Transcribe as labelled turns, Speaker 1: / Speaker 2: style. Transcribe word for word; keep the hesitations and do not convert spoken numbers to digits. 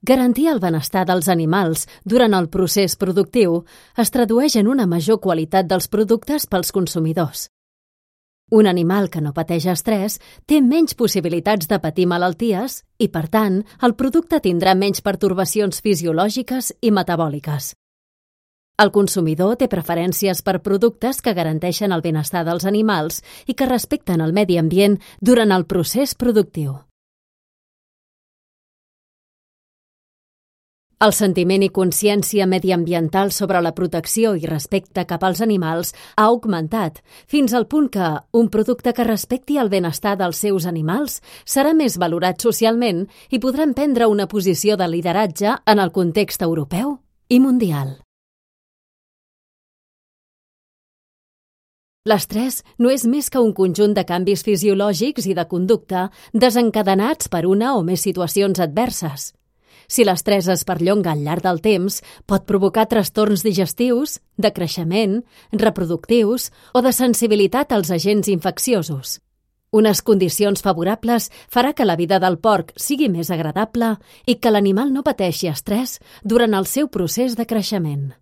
Speaker 1: Garantir el benestar dels animals durant el procés productiu es tradueix en una major qualitat dels productes pels consumidors. Un animal que no pateix estrès té menys possibilitats de patir malalties i, per tant, el producte tindrà menys pertorbacions fisiològiques i metabòliques. El consumidor té preferències per productes que garanteixen el benestar dels animals i que respecten el medi ambient durant el procés productiu. El sentiment i consciència mediambiental sobre la protecció i respecte cap als animals ha augmentat, fins al punt que un producte que respecti el benestar dels seus animals serà més valorat socialment i podrà prendre una posició de lideratge en el context europeu i mundial. L'estrès no és més que un conjunt de canvis fisiològics i de conducta desencadenats per una o més situacions adverses. Si l'estrès es perllonga al llarg del temps, pot provocar trastorns digestius, de creixement, reproductius o de sensibilitat als agents infecciosos. Unes condicions favorables farà que la vida del porc sigui més agradable i que l'animal no pateixi estrès durant el seu procés de creixement.